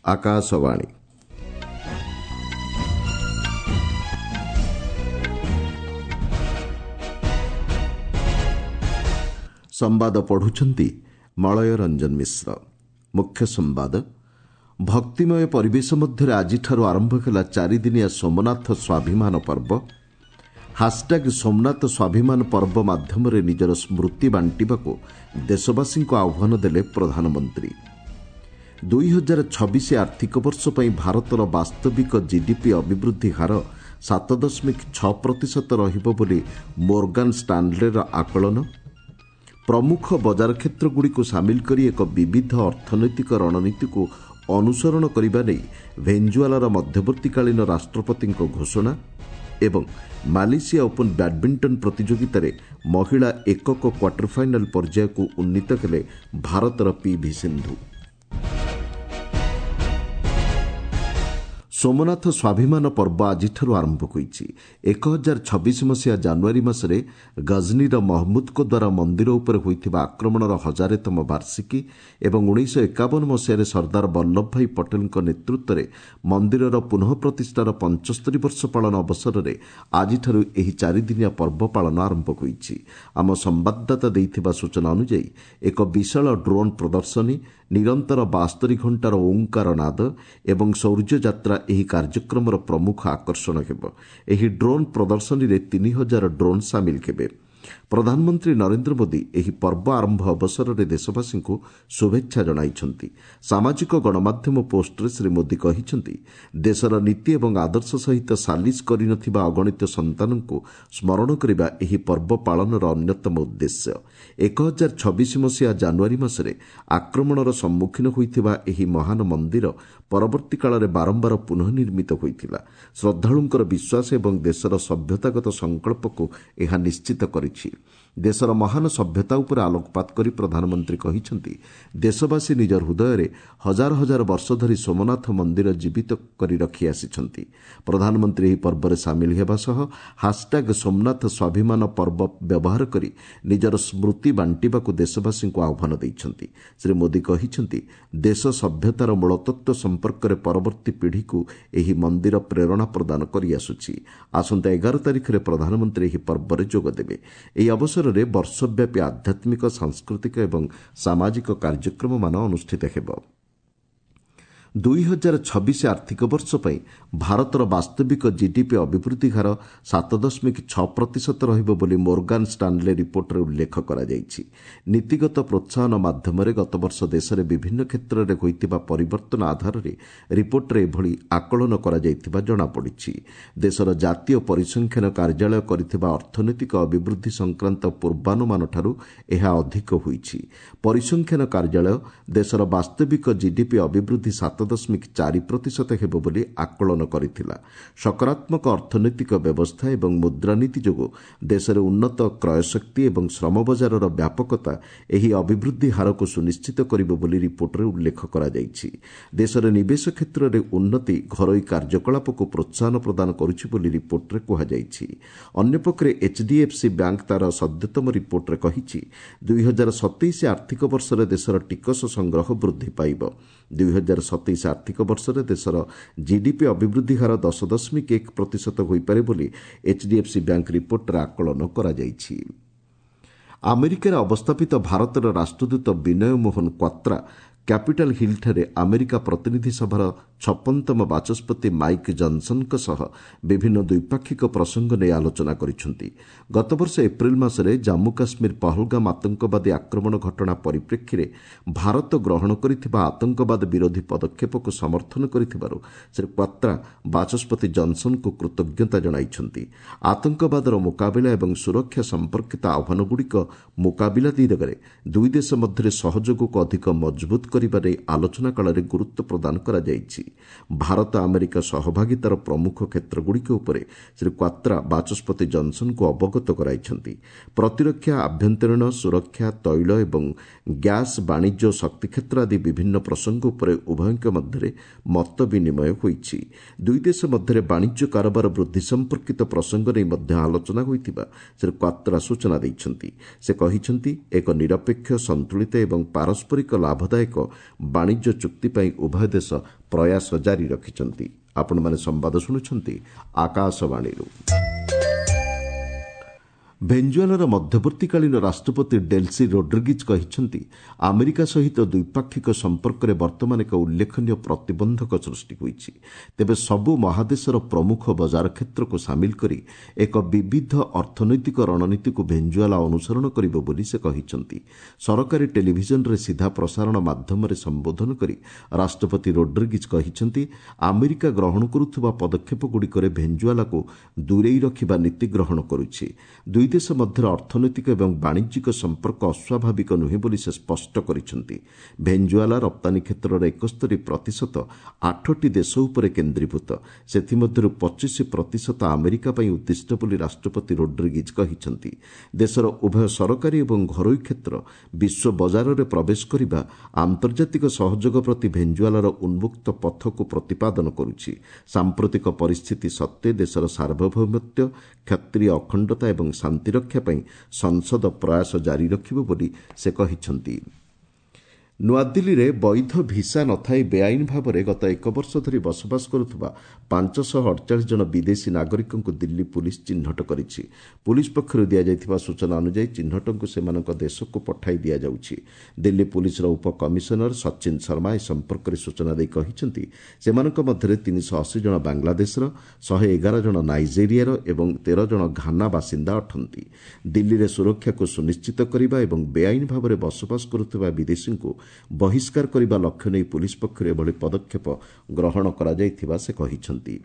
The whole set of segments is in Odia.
ଆକାଶବାଣୀ। ସମ୍ବାଦ ପଢୁଛନ୍ତି ମଳୟ ରଞ୍ଜନ ମିଶ୍ର। ମୁଖ୍ୟ ସମ୍ବାଦ। ଭକ୍ତିମୟ ପରିବେଶ ମଧ୍ୟରେ ଆଜିଠାରୁ ଆରମ୍ଭ ହେଲା ଚାରିଦିନିଆ ସୋମନାଥ ସ୍ୱାଭିମାନ ପର୍ବ। ହାସ୍ଟ୍ୟାଗ୍ ସୋମନାଥ ସ୍ୱାଭିମାନ ପର୍ବ ମାଧ୍ୟମରେ ନିଜର ସ୍ମୃତି ବାଣ୍ଟିବାକୁ ଦେଶବାସୀଙ୍କୁ ଆହ୍ୱାନ ଦେଲେ ପ୍ରଧାନମନ୍ତ୍ରୀ। 2026 ଆର୍ଥିକ ବର୍ଷ ପାଇଁ ଭାରତର ବାସ୍ତବିକ ଜିଡିପି ଅଭିବୃଦ୍ଧି ହାର 7.6% ରହିବ ବୋଲି ମୋର୍ଗାନ୍ ଷ୍ଟାନ୍ଲେର ଆକଳନ। ପ୍ରମୁଖ ବଜାର କ୍ଷେତ୍ରଗୁଡ଼ିକୁ ସାମିଲ କରି ଏକ ବିବିଧ ଅର୍ଥନୈତିକ ରଣନୀତିକୁ ଅନୁସରଣ କରିବା ନେଇ ଭେଞ୍ଜୁଆଲାର ମଧ୍ୟବର୍ତ୍ତୀକାଳୀନ ରାଷ୍ଟ୍ରପତିଙ୍କ ଘୋଷଣା ଏବଂ ମାଲେସିଆ ଓପନ୍ ବ୍ୟାଡ୍ମିଣ୍ଟନ ପ୍ରତିଯୋଗିତାରେ ମହିଳା ଏକକ କ୍ୱାର୍ଟର ଫାଇନାଲ୍ ପର୍ଯ୍ୟାୟକୁ ଉନ୍ନୀତ ହେଲେ ଭାରତର ପିଭି ସିନ୍ଧୁ। ସୋମନାଥ ସ୍ୱାଭିମାନ ପର୍ବ ଆଜିଠାରୁ ଆରମ୍ଭ ହୋଇଛି। 1026 ମସିହା ଜାନୁଆରୀ ମାସରେ ଗଜନୀର ମହମ୍ମୁଦଙ୍କ ଦ୍ୱାରା ମନ୍ଦିର ଉପରେ ହୋଇଥିବା ଆକ୍ରମଣର ହଜାରେତମ ବାର୍ଷିକୀ ଏବଂ 1951 ମସିହାରେ ସର୍ଦ୍ଦାର ବଲ୍ଲଭଭାଇ ପଟେଲଙ୍କ ନେତୃତ୍ୱରେ ମନ୍ଦିରର ପୁନଃ ପ୍ରତିଷ୍ଠାର 75 ବର୍ଷ ପାଳନ ଅବସରରେ ଆଜିଠାରୁ ଏହି ଚାରିଦିନିଆ ପର୍ବ ପାଳନ ଆରମ୍ଭ ହୋଇଛି। ଆମ ସମ୍ବାଦଦାତା ଦେଇଥିବା ସୂଚନା ଅନୁଯାୟୀ ଏକ ବିଶାଳ ଡ୍ରୋନ୍ ପ୍ରଦର୍ଶନୀ, ନିରନ୍ତର 72 ଘଣ୍ଟାର ଓଁକାର ନାଦ ଏବଂ ଶୌର୍ଯ୍ୟ ଯାତ୍ରା ଏହି କାର୍ଯ୍ୟକ୍ରମର ପ୍ରମୁଖ ଆକର୍ଷଣ ହେବ। ଏହି ଡ୍ରୋନ୍ ପ୍ରଦର୍ଶନୀରେ 3000 ଡ୍ରୋନ୍ ସାମିଲ ହେବେ। ପ୍ରଧାନମନ୍ତ୍ରୀ ନରେନ୍ଦ୍ର ମୋଦି ଏହି ପର୍ବ ଆରମ୍ଭ ଅବସରରେ ଦେଶବାସୀଙ୍କୁ ଶୁଭେଚ୍ଛା ଜଣାଇଛନ୍ତି। ସାମାଜିକ ଗଣମାଧ୍ୟମ ପୋଷ୍ଟରେ ଶ୍ରୀ ମୋଦି କହିଛନ୍ତି, ଦେଶର ନୀତି ଏବଂ ଆଦର୍ଶ ସହିତ ସାଲିସ କରିନଥିବା ଅଗଣିତ ସନ୍ତାନଙ୍କୁ ସ୍ମରଣ କରିବା ଏହି ପର୍ବ ପାଳନର ଅନ୍ୟତମ ଉଦ୍ଦେଶ୍ୟ। 1026 ମସିହା ଜାନୁଆରୀ ମାସରେ ଆକ୍ରମଣର ସମ୍ମୁଖୀନ ହୋଇଥିବା ଏହି ମହାନ ମନ୍ଦିର ପରବର୍ତ୍ତୀ କାଳରେ ବାରମ୍ବାର ପୁନଃ ନିର୍ମିତ ହୋଇଥିଲା। ଶ୍ରଦ୍ଧାଳୁଙ୍କର ବିଶ୍ୱାସ ଏବଂ ଦେଶର ସଭ୍ୟତାଗତ ସଂକଳ୍ପକୁ ଏହା ନିଶ୍ଚିତ କରିଛି। ଦେଶର ମହାନ ସଭ୍ୟତା ଉପରେ ଆଲୋକପାତ କରି ପ୍ରଧାନମନ୍ତ୍ରୀ କହିଛନ୍ତି, ଦେଶବାସୀ ନିଜ ହୃଦୟରେ ହଜାର ହଜାର ବର୍ଷ ଧରି ସୋମନାଥ ମନ୍ଦିର ଜୀବିତ କରି ରଖି ଆସିଛନ୍ତି। ପ୍ରଧାନମନ୍ତ୍ରୀ ଏହି ପର୍ବରେ ସାମିଲ ହେବା ସହ ହାସ୍ଟ୍ୟାଗ୍ ସୋମନାଥ ସ୍ୱାଭିମାନ ପର୍ବ ବ୍ୟବହାର କରି ନିଜର ସ୍ମୃତି ବାଣ୍ଟିବାକୁ ଦେଶବାସୀଙ୍କୁ ଆହ୍ୱାନ ଦେଇଛନ୍ତି। ଶ୍ରୀ ମୋଦି କହିଛନ୍ତି, ଦେଶ ସଭ୍ୟତାର ମୂଳତତ୍ତ୍ୱ ସମ୍ପର୍କରେ ପରବର୍ତ୍ତୀ ପିଢ଼ିକୁ ଏହି ମନ୍ଦିର ପ୍ରେରଣା ପ୍ରଦାନ କରିଆସୁଛି। ଆସନ୍ତା 11 ତାରିଖରେ ପ୍ରଧାନମନ୍ତ୍ରୀ ଏହି ପର୍ବରେ ଯୋଗଦେବେ। ଏହି ଅବସରରେ ବର୍ଷବ୍ୟାପୀ ଆଧ୍ୟାତ୍ମିକ, ସାଂସ୍କୃତିକ ଏବଂ ସାମାଜିକ କାର୍ଯ୍ୟକ୍ରମମାନ ଅନୁଷ୍ଠିତ ହେବ। 2026 ଆର୍ଥିକ ବର୍ଷ ପାଇଁ ଭାରତର ବାସ୍ତବିକ ଜିଡିପି ଅଭିବୃଦ୍ଧି ହାର 7.6% ରହିବ ବୋଲି ମୋର୍ଗାନ୍ ଷ୍ଟାନ୍ଲେ ରିପୋର୍ଟରେ ଉଲ୍ଲେଖ କରାଯାଇଛି। ନୀତିଗତ ପ୍ରୋତ୍ସାହନ ମାଧ୍ୟମରେ ଗତବର୍ଷ ଦେଶରେ ବିଭିନ୍ନ କ୍ଷେତ୍ରରେ ହୋଇଥିବା ପରିବର୍ତ୍ତନ ଆଧାରରେ ରିପୋର୍ଟରେ ଏଭଳି ଆକଳନ କରାଯାଇଥିବା ଜଣାପଡ଼ିଛି। ଦେଶର ଜାତୀୟ ପରିସଂଖ୍ୟାନ କାର୍ଯ୍ୟାଳୟ କରିଥିବା ଅର୍ଥନୈତିକ ଅଭିବୃଦ୍ଧି ସଂକ୍ରାନ୍ତ ପୂର୍ବାନୁମାନଠାରୁ ଏହା ଅଧିକ ହୋଇଛି। ପରିସଂଖ୍ୟାନ କାର୍ଯ୍ୟାଳୟ ଦେଶର ବାସ୍ତବିକ ଜିଡିପି ଅଭିବୃଦ୍ଧି 7.4% ହେବ ବୋଲି ଆକଳନ କରିଥିଲା। ସକାରାତ୍ମକ ଅର୍ଥନୈତିକ ବ୍ୟବସ୍ଥା ଏବଂ ମୁଦ୍ରାନୀତି ଯୋଗୁଁ ଦେଶରେ ଉନ୍ନତ କ୍ରୟଶକ୍ତି ଏବଂ ଶ୍ରମ ବଜାରର ବ୍ୟାପକତା ଏହି ଅଭିବୃଦ୍ଧି ହାରକୁ ସୁନିଶ୍ଚିତ କରିବ ବୋଲି ରିପୋର୍ଟରେ ଉଲ୍ଲେଖ କରାଯାଇଛି। ଦେଶରେ ନିବେଶ କ୍ଷେତ୍ରରେ ଉନ୍ନତି ଘରୋଇ କାର୍ଯ୍ୟକଳାପକୁ ପ୍ରୋତ୍ସାହନ ପ୍ରଦାନ କରୁଛି ବୋଲି ରିପୋର୍ଟରେ କୁହାଯାଇଛି। ଅନ୍ୟପକ୍ଷରେ ଏଚ୍ଡିଏଫ୍ସି ବ୍ୟାଙ୍କ ତା'ର ସଦ୍ୟତମ ରିପୋର୍ଟରେ କହିଛି, 2027 ଆର୍ଥିକ ବର୍ଷରେ ଦେଶର ଟିକସ ସଂଗ୍ରହ ବୃଦ୍ଧି ପାଇବ। 2027 ଆର୍ଥିକ ବର୍ଷରେ ଦେଶର ଜିଡିପି ଅଭିବୃଦ୍ଧି ହାର 10.1% ହୋଇପାରେ ବୋଲି ଏଚ୍ଡିଏଫ୍ସି ବ୍ୟାଙ୍କ ରିପୋର୍ଟରେ ଆକଳନ କରାଯାଇଛି। ଆମେରିକାରେ ଅବସ୍ଥାପିତ ଭାରତର ରାଷ୍ଟ୍ରଦୂତ ବିନୟ ମୋହନ କ୍ୱାତ୍ରା କ୍ୟାପିଟାଲ୍ ହିଲ୍ଠାରେ ଆମେରିକା ପ୍ରତିନିଧି ସଭାର 56ତମ ବାଚସ୍ପତି ମାଇକ୍ ଜନ୍ସନ୍ଙ୍କ ସହ ବିଭିନ୍ନ ଦ୍ୱିପାକ୍ଷିକ ପ୍ରସଙ୍ଗ ନେଇ ଆଲୋଚନା କରିଛନ୍ତି। ଗତବର୍ଷ ଏପ୍ରିଲ ମାସରେ ଜାମ୍ମୁ କାଶ୍ମୀର ପହଲଗାମ ଆତଙ୍କବାଦୀ ଆକ୍ରମଣ ଘଟଣା ପରିପ୍ରେକ୍ଷୀରେ ଭାରତ ଗ୍ରହଣ କରିଥିବା ଆତଙ୍କବାଦ ବିରୋଧୀ ପଦକ୍ଷେପକୁ ସମର୍ଥନ କରିଥିବାରୁ ଶ୍ରୀ କ୍ୱାତ୍ରା ବାଚସ୍ପତି ଜନ୍ସନ୍ଙ୍କୁ କୃତଜ୍ଞତା ଜଣାଇଛନ୍ତି। ଆତଙ୍କବାଦର ମୁକାବିଲା ଏବଂ ସୁରକ୍ଷା ସମ୍ପର୍କିତ ଆହ୍ୱାନଗୁଡ଼ିକ ମୁକାବିଲା ଦିଗରେ ଦୁଇ ଦେଶ ମଧ୍ୟରେ ସହଯୋଗକୁ ଅଧିକ ମଜବୁତ କରିବା ନେଇ ଆଲୋଚନା କାଳରେ ଗୁରୁତ୍ୱ ପ୍ରଦାନ କରାଯାଇଛି। ଭାରତ ଆମେରିକା ସହଭାଗିତାର ପ୍ରମୁଖ କ୍ଷେତ୍ରଗୁଡ଼ିକ ଉପରେ ଶ୍ରୀ କ୍ୱାତ୍ରା ବାଚସ୍ପତି ଜନ୍ସନ୍ଙ୍କୁ ଅବଗତ କରାଇଛନ୍ତି। ପ୍ରତିରକ୍ଷା, ଆଭ୍ୟନ୍ତରୀଣ ସୁରକ୍ଷା, ତୈଳ ଏବଂ ଗ୍ୟାସ୍, ବାଣିଜ୍ୟ ଓ ଶକ୍ତି କ୍ଷେତ୍ର ଆଦି ବିଭିନ୍ନ ପ୍ରସଙ୍ଗ ଉପରେ ଉଭୟଙ୍କ ମଧ୍ୟରେ ମତ ବିନିମୟ ହୋଇଛି। ଦୁଇ ଦେଶ ମଧ୍ୟରେ ବାଣିଜ୍ୟ କାରବାର ବୃଦ୍ଧି ସମ୍ପର୍କିତ ପ୍ରସଙ୍ଗ ନେଇ ମଧ୍ୟ ଆଲୋଚନା ହୋଇଥିବା ଶ୍ରୀ କ୍ୱାତ୍ରା ସୂଚନା ଦେଇଛନ୍ତି। ସେ କହିଛନ୍ତି, ଏକ ନିରପେକ୍ଷ, ସନ୍ତୁଳିତ ଏବଂ ପାରସ୍ପରିକ ଲାଭଦାୟକ ବାଣିଜ୍ୟ ଚୁକ୍ତି ପାଇଁ ଉଭୟ ଦେଶ ପ୍ରୟାସ ଜାରି ରଖିଛନ୍ତି। ଆପଣମାନେ ସମ୍ବାଦ ଶୁଣୁଛନ୍ତି ଆକାଶବାଣୀରୁ। ଭେଞ୍ଜୁଏଲାର ମଧ୍ୟବର୍ତ୍ତୀକାଳୀନ ରାଷ୍ଟ୍ରପତି ଡେଲ୍ସି ରୋଡ୍ରିଗିଜ୍ କହିଛନ୍ତି, ଆମେରିକା ସହିତ ଦ୍ୱିପାକ୍ଷିକ ସମ୍ପର୍କରେ ବର୍ତ୍ତମାନ ଏକ ଉଲ୍ଲେଖନୀୟ ପ୍ରତିବନ୍ଧକ ସୃଷ୍ଟି ହୋଇଛି। ତେବେ ସବୁ ମହାଦେଶର ପ୍ରମୁଖ ବଜାର କ୍ଷେତ୍ରକୁ ସାମିଲ କରି ଏକ ବିବିଧ ଅର୍ଥନୈତିକ ରଣନୀତିକୁ ଭେଞ୍ଜୁଏଲା ଅନୁସରଣ କରିବ ବୋଲି ସେ କହିଛନ୍ତି। ସରକାରୀ ଟେଲିଭିଜନରେ ସିଧା ପ୍ରସାରଣ ମାଧ୍ୟମରେ ସମ୍ବୋଧନ କରି ରାଷ୍ଟ୍ରପତି ରୋଡ୍ରିଗିଜ୍ କହିଛନ୍ତି, ଆମେରିକା ଗ୍ରହଣ କରୁଥିବା ପଦକ୍ଷେପଗୁଡ଼ିକରେ ଭେଞ୍ଜୁଏଲାକୁ ଦୂରେଇ ରଖିବା ନୀତି ଗ୍ରହଣ କରୁଛି। ଦୁଇ ଦେଶ ମଧ୍ୟରେ ଅର୍ଥନୈତିକ ଏବଂ ବାଣିଜ୍ୟିକ ସମ୍ପର୍କ ଅସ୍ୱାଭାବିକ ନୁହେଁ ବୋଲି ସେ ସ୍ପଷ୍ଟ କରିଛନ୍ତି। ଭେଞ୍ଜୁଏଲା ରପ୍ତାନୀ କ୍ଷେତ୍ରର 71% 8ଟି ଦେଶ ଉପରେ କେନ୍ଦ୍ରୀଭୂତ। ସେଥିମଧ୍ୟରୁ 25% ଆମେରିକା ପାଇଁ ଉଦ୍ଦିଷ୍ଟ ବୋଲି ରାଷ୍ଟ୍ରପତି ରୋଡ୍ରିଗିଜ୍ କହିଛନ୍ତି। ଦେଶର ଉଭୟ ସରକାରୀ ଏବଂ ଘରୋଇ କ୍ଷେତ୍ର ବିଶ୍ୱ ବଜାରରେ ପ୍ରବେଶ କରିବା ଆନ୍ତର୍ଜାତିକ ସହଯୋଗ ପ୍ରତି ଭେଞ୍ଜୁଏଲାର ଉନ୍ମୁକ୍ତ ପଥକୁ ପ୍ରତିପାଦନ କରୁଛି। ସାମ୍ପ୍ରତିକ ପରିସ୍ଥିତି ସତ୍ତ୍ୱେ ଦେଶର ସାର୍ବଭୌମତ୍ୱ, କ୍ଷତ୍ରିୟ ଅଖଣ୍ଡତା ଏବଂ ଶାନ୍ତିରକ୍ଷା ପାଇଁ ସଂସଦ ପ୍ରୟାସ ଜାରି ରଖିବ ବୋଲି ସେ କହିଛନ୍ତି। ନୂଆଦିଲ୍ଲୀରେ ବୈଧ ଭିସା ନଥାଇ ବେଆଇନ ଭାବରେ ଗତ ଏକ ବର୍ଷ ଧରି ବସବାସ କରୁଥିବା 548 ଜଣ ବିଦେଶୀ ନାଗରିକଙ୍କୁ ଦିଲ୍ଲୀ ପୁଲିସ୍ ଚିହ୍ନଟ କରିଛି। ପୁଲିସ୍ ପକ୍ଷରୁ ଦିଆଯାଇଥିବା ସୂଚନା ଅନୁଯାୟୀ ଚିହ୍ନଟଙ୍କୁ ସେମାନଙ୍କ ଦେଶକୁ ପଠାଇ ଦିଆଯାଉଛି। ଦିଲ୍ଲୀ ପୁଲିସ୍ର ଉପକମିଶନର ସଚିନ ଶର୍ମା ଏ ସମ୍ପର୍କରେ ସୂଚନା ଦେଇ କହିଛନ୍ତି, ସେମାନଙ୍କ ମଧ୍ୟରେ 380 ଜଣ ବାଂଲାଦେଶର, 111 ଜଣ ନାଇଜେରିଆର ଏବଂ 13 ଜଣ ଘାନା ବାସିନ୍ଦା ଅଟନ୍ତି। ଦିଲ୍ଲୀରେ ସୁରକ୍ଷାକୁ ସୁନିଶ୍ଚିତ କରିବା ଏବଂ ବେଆଇନ ଭାବରେ ବସବାସ କରୁଥିବା ବିଦେଶୀଙ୍କୁ ବହିଷ୍କାର କରିବା ଲକ୍ଷ୍ୟ ନେଇ ପୁଲିସ୍ ପକ୍ଷରୁ ଏଭଳି ପଦକ୍ଷେପ ଗ୍ରହଣ କରାଯାଇଥିବା ସେ କହିଛନ୍ତି।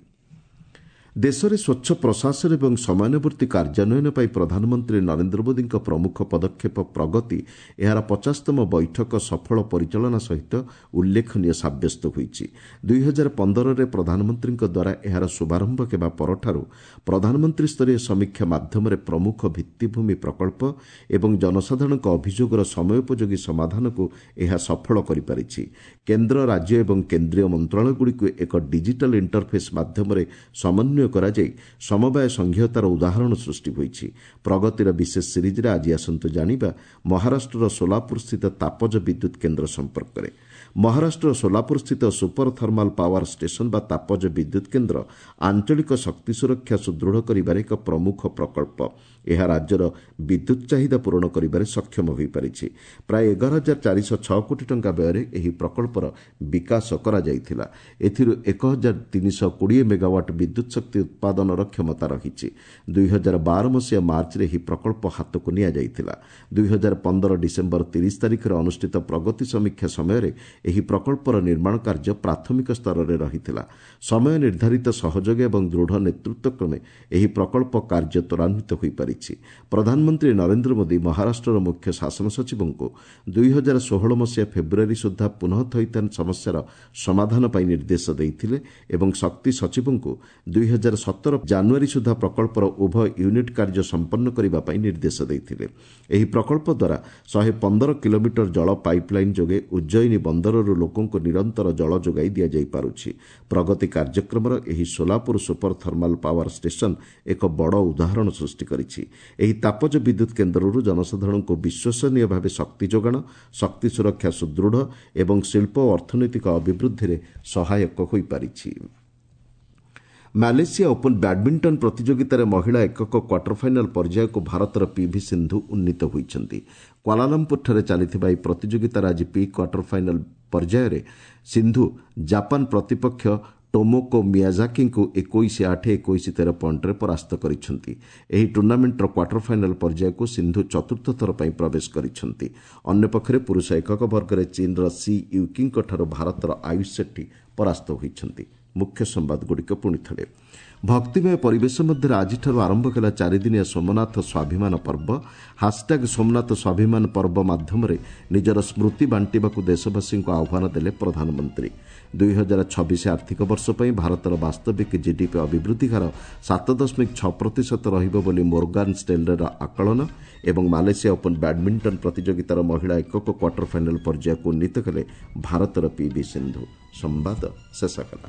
ଦେଶରେ ସ୍ୱଚ୍ଛ ପ୍ରଶାସନ ଏବଂ ସମୟାନୁବର୍ତ୍ତୀ କାର୍ଯ୍ୟାନ୍ୱୟନ ପାଇଁ ପ୍ରଧାନମନ୍ତ୍ରୀ ନରେନ୍ଦ୍ର ମୋଦିଙ୍କ ପ୍ରମୁଖ ପଦକ୍ଷେପ ପ୍ରଗତି ଏହାର 50ତମ ବୈଠକ ସଫଳ ପରିଚାଳନା ସହିତ ଉଲ୍ଲେଖନୀୟ ସାବ୍ୟସ୍ତ ହୋଇଛି। 2015ରେ ପ୍ରଧାନମନ୍ତ୍ରୀଙ୍କ ଦ୍ୱାରା ଏହାର ଶୁଭାରମ୍ଭ ହେବା ପରଠାରୁ ପ୍ରଧାନମନ୍ତ୍ରୀ ସ୍ତରୀୟ ସମୀକ୍ଷା ମାଧ୍ୟମରେ ପ୍ରମୁଖ ଭିତ୍ତିଭୂମି ପ୍ରକଳ୍ପ ଏବଂ ଜନସାଧାରଣଙ୍କ ଅଭିଯୋଗର ସମୟୋପଯୋଗୀ ସମାଧାନକୁ ଏହା ସଫଳ କରିପାରିଛି। କେନ୍ଦ୍ର, ରାଜ୍ୟ ଏବଂ କେନ୍ଦ୍ରୀୟ ମନ୍ତ୍ରଣାଳୟଗୁଡ଼ିକୁ ଏକ ଡିଜିଟାଲ ଇଣ୍ଟରଫେସ୍ ମାଧ୍ୟମରେ ସମନ୍ୱୟ କରାଯାଇ ସମବାୟ ସଂଘୀୟତାର ଉଦାହରଣ ସୃଷ୍ଟି ହୋଇଛି। ପ୍ରଗତିର ବିଶେଷ ସିରିଜ୍ରେ ଆଜି ଆସନ୍ତୁ ଜାଣିବା ମହାରାଷ୍ଟ୍ରର ସୋଲାପୁରସ୍ଥିତ ତାପଜ ବିଦ୍ୟୁତ୍ କେନ୍ଦ୍ର ସମ୍ପର୍କରେ। ମହାରାଷ୍ଟ୍ରର ସୋଲାପୁରସ୍ଥିତ ସୁପର ଥର୍ମାଲ ପାୱାର ଷ୍ଟେସନ ବା ତାପଜ ବିଦ୍ୟୁତ୍ କେନ୍ଦ୍ର ଆଞ୍ଚଳିକ ଶକ୍ତି ସୁରକ୍ଷା ସୁଦୃଢ଼ କରିବାରେ ଏକ ପ୍ରମୁଖ ପ୍ରକଳ୍ପ। ଏହା ରାଜ୍ୟର ବିଦ୍ୟୁତ୍ ଚାହିଦା ପୂରଣ କରିବାରେ ସକ୍ଷମ ହୋଇପାରିଛି। ପ୍ରାୟ 11,406 କୋଟି ଟଙ୍କା ବ୍ୟୟରେ ଏହି ପ୍ରକଳ୍ପର ବିକାଶ କରାଯାଇଥିଲା। ଏଥିରୁ 1320 ମେଗାୱାଟ୍ ବିଦ୍ୟୁତ୍ ଶକ୍ତି ଉତ୍ପାଦନର କ୍ଷମତା ରହିଛି। 2012 ମସିହା ମାର୍ଚ୍ଚରେ ଏହି ପ୍ରକଳ୍ପ ହାତକୁ ନିଆଯାଇଥିଲା। 2015 ଡିସେମ୍ବର 30 ତାରିଖରେ ଅନୁଷ୍ଠିତ ପ୍ରଗତି ସମୀକ୍ଷା ସମୟରେ ଏହି ପ୍ରକଳ୍ପର ନିର୍ମାଣ କାର୍ଯ୍ୟ ପ୍ରାଥମିକ ସ୍ତରରେ ରହିଥିଲା। ସମୟ ନିର୍ଦ୍ଧାରିତ ସହଯୋଗ ଏବଂ ଦୃଢ଼ ନେତୃତ୍ୱ କ୍ରମେ ଏହି ପ୍ରକଳ୍ପ କାର୍ଯ୍ୟ ତ୍ୱରାନ୍ୱିତ ହୋଇପାରିଛି। ପ୍ରଧାନମନ୍ତ୍ରୀ ନରେନ୍ଦ୍ର ମୋଦି ମହାରାଷ୍ଟ୍ରର ମୁଖ୍ୟ ଶାସନ ସଚିବଙ୍କୁ 2016 ମସିହା ଫେବୃଆରୀ ସୁଦ୍ଧା ପୁନଃ ଥଇଥାନ ସମସ୍ୟାର ସମାଧାନ ପାଇଁ ନିର୍ଦ୍ଦେଶ ଦେଇଥିଲେ ଏବଂ ଶକ୍ତି ସଚିବଙ୍କୁ 2017 ଜାନୁଆରୀ ସୁଦ୍ଧା ପ୍ରକଳ୍ପର ଉଭୟ ୟୁନିଟ୍ କାର୍ଯ୍ୟ ସମ୍ପନ୍ନ କରିବା ପାଇଁ ନିର୍ଦ୍ଦେଶ ଦେଇଥିଲେ। ଏହି ପ୍ରକଳ୍ପ ଦ୍ୱାରା 115 କିଲୋମିଟର ଜଳ ପାଇପ୍ଲାଇନ୍ ଯୋଗେ ଉଜ୍ଜୟିନୀ ବନ୍ଦରରୁ ଲୋକଙ୍କୁ ନିରନ୍ତର ଜଳ ଯୋଗାଇ ଦିଆଯାଇପାରୁଛି। ପ୍ରଗତି କାର୍ଯ୍ୟକ୍ରମର ଏହି Solapur super thermal power station ଏକ ବଡ଼ ଉଦାହରଣ ସୃଷ୍ଟି କରିଛି। ଏହି ତାପଜ ବିଦ୍ୟୁତ୍ କେନ୍ଦ୍ରରୁ ଜନସାଧାରଣଙ୍କୁ ବିଶ୍ୱସନୀୟ ଭାବେ ଶକ୍ତି ଯୋଗାଣ, ଶକ୍ତି ସୁରକ୍ଷା ସୁଦୃଢ଼ ଏବଂ ଶିଳ୍ପ ଓ ଅର୍ଥନୈତିକ ଅଭିବୃଦ୍ଧିରେ ସହାୟକ ହୋଇପାରିଛି। ମାଲେସିଆ ଓପନ୍ ବ୍ୟାଡ୍ମିଣ୍ଟନ ପ୍ରତିଯୋଗିତାରେ ମହିଳା ଏକକ କ୍ୱାର୍ଟର ଫାଇନାଲ୍ ପର୍ଯ୍ୟାୟକୁ ଭାରତର ପିଭି ସିନ୍ଧୁ ଉନ୍ନୀତ ହୋଇଛନ୍ତି। କ୍ୱାଲାଲମ୍ପୁରଠାରେ ଚାଲିଥିବା ଏହି ପ୍ରତିଯୋଗିତାର ଆଜି ପ୍ରି କ୍ୱାର୍ଟର ଫାଇନାଲ୍ ପର୍ଯ୍ୟାୟରେ ସିନ୍ଧୁ ଜାପାନ ପ୍ରତିପକ୍ଷ ଟୋମୋକୋ ମିଆଜାକିଙ୍କୁ 21-8, 21-13 ପଏଣ୍ଟରେ ପରାସ୍ତ କରିଛନ୍ତି। ଏହି ଟୁର୍ଣ୍ଣାମେଣ୍ଟର କ୍ୱାର୍ଟର ଫାଇନାଲ୍ ପର୍ଯ୍ୟାୟକୁ ସିନ୍ଧୁ ଚତୁର୍ଥ ଥର ପାଇଁ ପ୍ରବେଶ କରିଛନ୍ତି। ଅନ୍ୟପକ୍ଷରେ ପୁରୁଷ ଏକକ ବର୍ଗରେ ଚୀନ୍ର ସି ୟୁକିଙ୍କଠାରୁ ଭାରତର ଆୟୁଷ ସେଟ୍ଟୀ ପରାସ୍ତ ହୋଇଛନ୍ତି। ମୁଖ୍ୟ ସମ୍ବାଦଗୁଡ଼ିକ ପୁଣି ଥରେ। ଭକ୍ତିମୟ ପରିବେଶ ମଧ୍ୟରେ ଆଜିଠାରୁ ଆରମ୍ଭ ହେଲା ଚାରିଦିନିଆ ସୋମନାଥ ସ୍ୱାଭିମାନ ପର୍ବ। ହାସ୍ଟ୍ୟାଗ୍ ସୋମନାଥ ସ୍ୱାଭିମାନ ପର୍ବ ମାଧ୍ୟମରେ ନିଜର ସ୍ମୃତି ବାଣ୍ଟିବାକୁ ଦେଶବାସୀଙ୍କୁ ଆହ୍ୱାନ ଦେଲେ ପ୍ରଧାନମନ୍ତ୍ରୀ। 2026 ଆର୍ଥିକ ବର୍ଷ ପାଇଁ ଭାରତର ବାସ୍ତବିକ ଜିଡିପି ଅଭିବୃଦ୍ଧି ହାର 7.6% ରହିବ ବୋଲି ମୋର୍ଗାନ୍ ଷ୍ଟେନ୍ଲେର ଆକଳନ। ଏବଂ ମାଲେସିଆ ଓପନ୍ ବ୍ୟାଡ୍ମିଣ୍ଟନ ପ୍ରତିଯୋଗିତାର ମହିଳା ଏକକ କ୍ୱାର୍ଟର ଫାଇନାଲ୍ ପର୍ଯ୍ୟାୟକୁ ଉନ୍ନୀତ କଲେ ଭାରତର ପିଭି ସିନ୍ଧୁ। ସମ୍ବାଦ ଶେଷ କଲା।